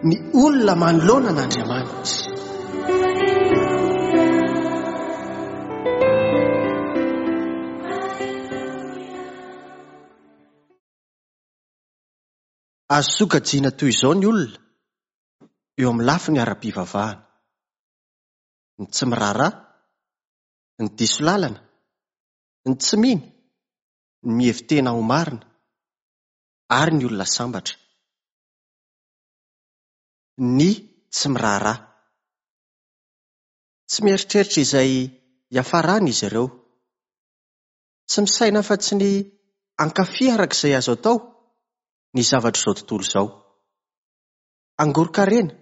Ny olona manoloana an'Andriamanitra. Azo sokajiana toy izao ny olona eo amin'ny lafiny ara-pivavahana. Ny tsy miraharaha, ny diso lalana, ny tsy mino, ny mihevi-tena ho marina, ary ny olona sambatra. Ny tsy miraharaha. Tsy mieritreritra izay hiafarany izy ireo. Tsy misaina afa-tsy ny hankafy araka izay azo atao ny zavatr'izao tontolo izao. Hangoron-karena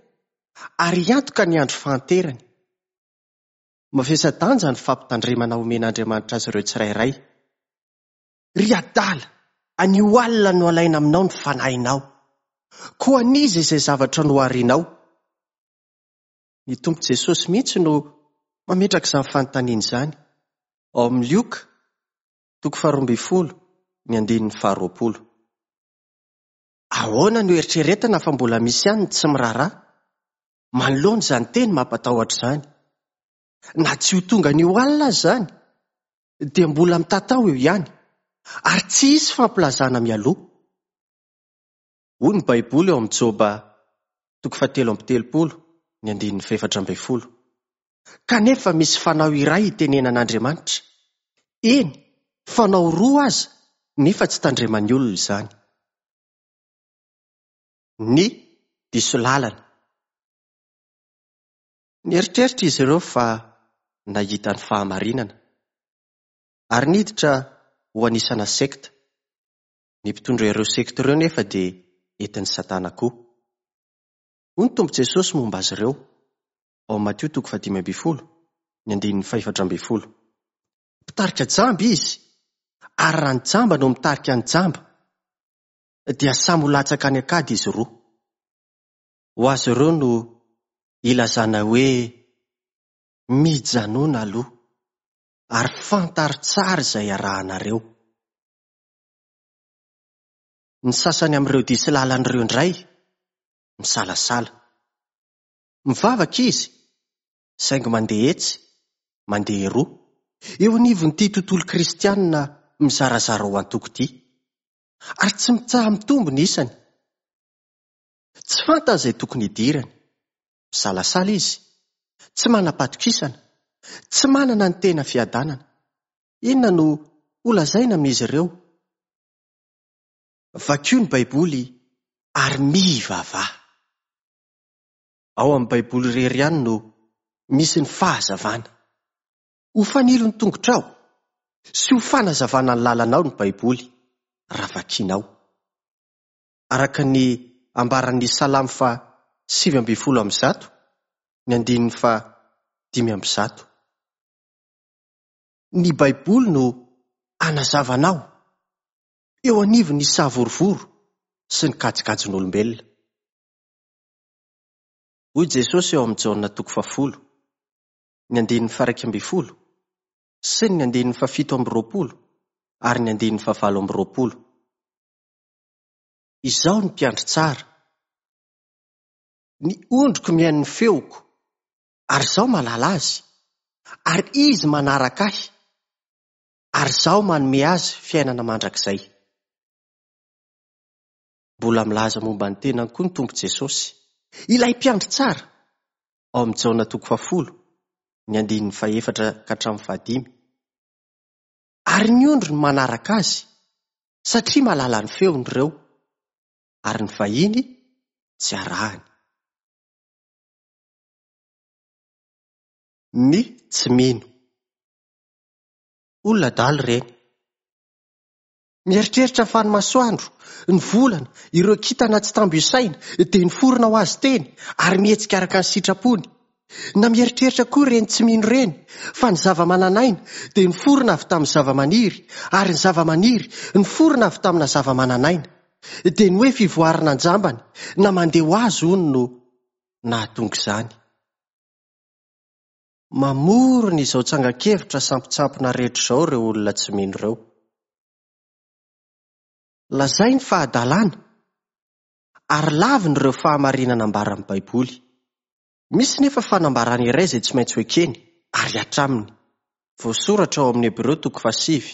ary hiantoka ny andro fahanterany. Mavesa-danja ny fampitandremana omen'Andriamanitra azy ireo tsirairay. Ry adala, anio alina no alaina aminao ny fanahinao. Koa an'iza izay zavatra noharinao? Ny Tompo Jesosy mihitsy no mametraka izany fanontaniana izany ao amin'ny Lioka, toko faharoambinifolo, ny andininy faharoapolo. Ahoana no eritreretina fa mbola misy ihany ny tsy miraharaha manoloana izany teny mampatahotra izany? Na tsy ho tonga anio alina aza izany, dia mbola mitatao eo ihany, ary tsy hisy fampilazana mialoha. Hoy ny Baiboly ao amin'ny Joba toko fahatelo amby telopolo, ny andininy fahefatra ambin'ny folo, Kanefa misy fanao iray itenenan'Andriamanitra, eny, fanao roa aza, nefa tsy tandreman'ny olona izany. Ny diso lalana. Nieritreritra izy ireo fa nahita ny fahamarinana, ary niditra ho anisana sekta. Ny mpitondra ireo sekta ireo nefa dia entin'i Satana koa. Hoy ny Tompo Jesosy momba azy ireo, ao amin'ny Matio toko fahadimy ambin'ny folo, ny andininy fahefatra ambin'ny folo. Mpitarika jamba izy, ary raha ny jamba no mitarika ny jamba, dia samy ho latsaka any an-kady izy roa. Ho azy ireo no ilazana hoe mijanona aloha, ary fantaro tsara izay arahanareo. Ny sasany amin'ireo diso lalana ireo indray misalasala. Mivavaka izy, saingy mandeha etsy, mandeha eroa, eo anivon'ity tontolo kristianina mizarazara ho antoko ity. Ary tsy mitsaha-mitombo ny isany. Tsy fantany izay tokony hidirany. Misalasala izy. Tsy manam-patokisana. Tsy manana ny tena fiadanana. Inona no holazaina amin'izy ireo? Vakio ny Baiboly ary mivavaha. Ao amin'ny Baiboly irery ihany no misy ny fahazavana. Ho fanilo ny tongotrao sy ho fanazavana ny lalanao ny Baiboly raha vakinao. Araka ny ambaran'ny Salamo faha 119, ny andininy faha 105. Ny Baiboly no hanazava anao eo anivon'ny savorovoro sy ny kajikajin'olombelona. Hoy Jesosy ao amin'ny Jaona toko fahafolo, ny andininy faha-iraika ambin'ny folo sy ny andininy fahafito amby roapolo ary ny andininy fahavalo amby roapolo. Izaho no mpiandry tsara. Ny ondriko mihaino ny feoko, ary izaho mahalala azy, ary izy manaraka ahy, ary izaho manome azy fiainana mandrakizay. Mbola milaza momba ny tenany koa ny Tompo Jesosy, ilay mpiandry tsara, ao amin'ny Jaona toko fahafolo, ny andininy fahefatra ka hatramin'ny fahadimy. Ary ny ondry no manaraka azy, satria mahalala ny feony ireo, ary ny vahiny tsy arahany. Ny tsy mino. Olona adala ireny. Mieritreritra fa ny masoandro, ny volana, ireo kintana tsy tambo isaina dia niforona ho azy teny ary mihetsika araka ny sitrapony. Na mieritreritra koa ireny tsy mino ireny fa ny zava-manan'aina dia niforona avy tamin'ny zava-maniry ary ny zava-maniry niforona avy tamina zava-manan'aina. Dia ny hoe fivoarana an-jambany na mandeha ho azy hono no nahatonga izany. Mamorona izao tsangan-kevitra sampotsampona rehetra izao ireo olona tsy mino ireo. Lazainy fa hadalana. ary laviny ireo fahamarinana ambaran'ny Baiboly. Misy nefa fanambarana iray izay tsy maintsy ho ekeny ary hihatra aminy. Voasoratra ao amin'ny Hebreo toko fahasivy,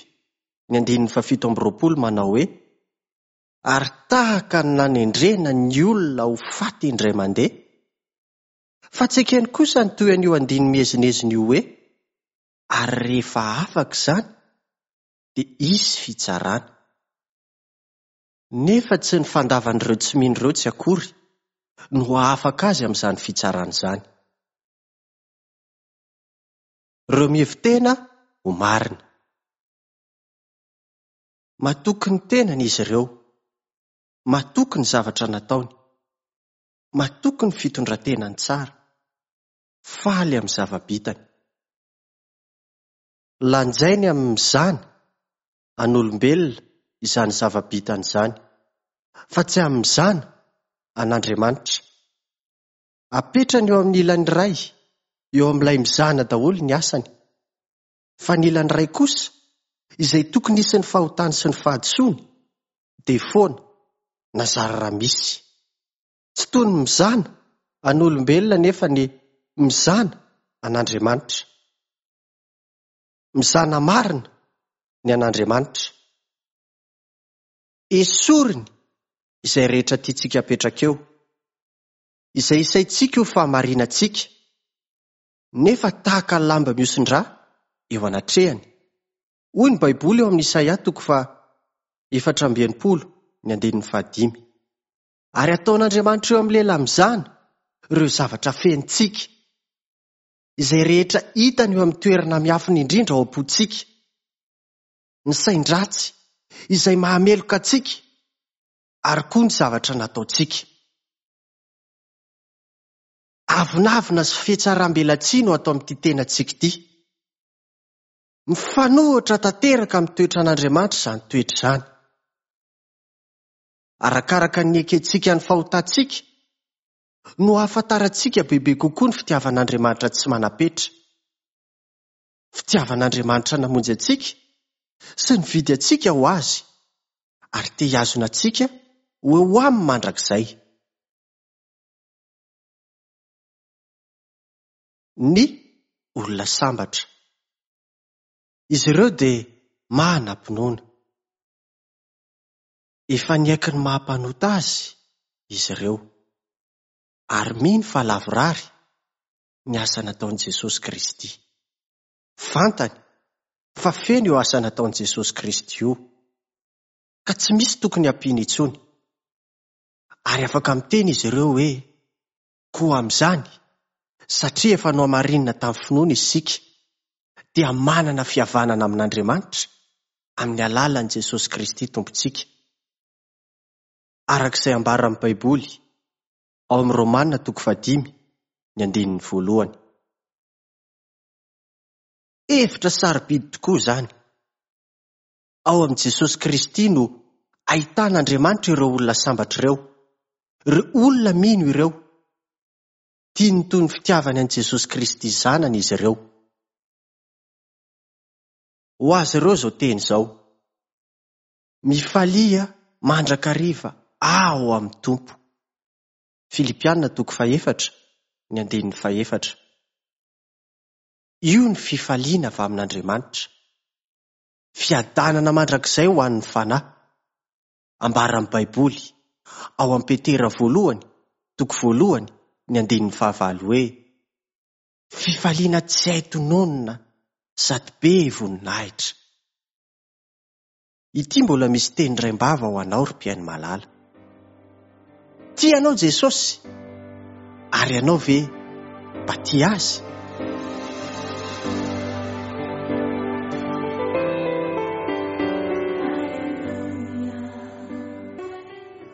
ny andininy fahafito amby 20 manao hoe, Ary tahaka ny nanendrena ny olona ho faty indray mandeha, fa tsy ekeny kosa ny toy an'io andininy miezinezina io hoe, Ary rehefa afaka izany, dia hisy fitsarana. Nefa tsy ny fandavan'ireo tsy mino ireo tsy akory no hahafaka azy amin'izany fitsarana izany. Ireo mihevi-tena ho marina. Matoky ny tenany izy ireo. Matoky ny zavatra nataony. Matoky ny fitondran-tenany tsara. Faly amin'ny zava-bitany. Lanjainy amin'ny mizana an'olombelona izany zava-bitany izany, fa tsy amin'ny mizana an'Andriamanitra. Apetrany eo amin'ny ilany iray, eo amin'ilay mizana daholo ny asany. Fa ny ilany iray kosa, izay tokony hisy ny fahotany sy ny fahadisoany, dia foana, na zara raha misy. Tsy toy ny mizana an'olombelona anefa ny mizana an'Andriamanitra. Mizana marina ny an'Andriamanitra. Esoriny izay rehetra tiantsika apetraka eo, izay isaintsika ho fahamarinantsika, nefa tahaka ny lamba mihosin-drà eo anatrehany. Hoy ny Baiboly ao amin'ny Isaia toko faha 64 ny andininy fahadimy. Ary ataon'Andriamanitra eo amin'ny lehilahy mizana ireo zavatra fenontsika, izay rehetra hitany eo amin'ny toerana miafina indrindra ao am-pontsika, ny sain-dratsy izay mahameloka antsika, ary koa ny zavatra nataontsika. Avonavona sy fihatsaram-belatsihy no ato amin'ity tenantsika ity. Mifanohitra tanteraka amin'ny toetran'Andriamanitra izany toetra izany. Arakaraka ny niekentsika ny fahotantsika no ahafantarantsika bebe kokoa ny fitiavan'Andriamanitra tsy manam-petra. Fitiavan'Andriamanitra namonjy antsika sy nividy antsika ho Azy ary te hihazona antsika ho eo Aminy mandrakizay. Ny olona sambatra. Izy ireo dia manam-pinoana. Efa niaiky ny maha mpanota azy izy ireo, ary mino fa lavorary ny asa nataon'i Jesosy Kristy. Fantany fa feno io asa nataon'i Jesosy Kristy io, ka tsy misy tokony hampiana intsony. Ary afaka miteny izy ireo hoe, Koa amin'izany, satria efa nohamarinina tamin'ny finoana isika, dia manana fihavanana amin'Andriamanitra amin'ny alalan'i Jesosy Kristy Tompontsika. Araka izay ambaran'ny Baiboly ao amin'ny Romana toko fahadimy, ny andininy voalohany. Hevitra sarobidy tokoa izany! Ao amin'i Jesosy Kristy no ahitan'Andriamanitra ireo olona sambatra ireo, ireo olona mino ireo. Tiany toy ny fitiavany an'i Jesosy Kristy Zanany izy ireo. Ho azy ireo izao teny izao, Mifalia mandrakariva ao amin'ny Tompo. Filipiana toko fahefatra, ny andininy fahefatra. Io ny fifaliana avy amin'Andriamanitra. Fiadanana mandrakizay ho an'ny fanahy. Ambaran'ny Baiboly, ao amin'ny Petera voalohany, toko voalohany, ny andininy fahavalo hoe, Fifaliana tsy hay tononina sady be voninahitra. Ity mbola misy teny raim-bava ho anao ry mpihaino malala. Tia anao Jesosy, ary ianao ve mba tia Azy?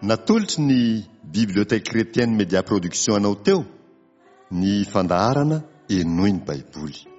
Natolotry ny Bibliothèque Chrétienne Média Production anao teo ny fandaharana Henoy ny Baiboly.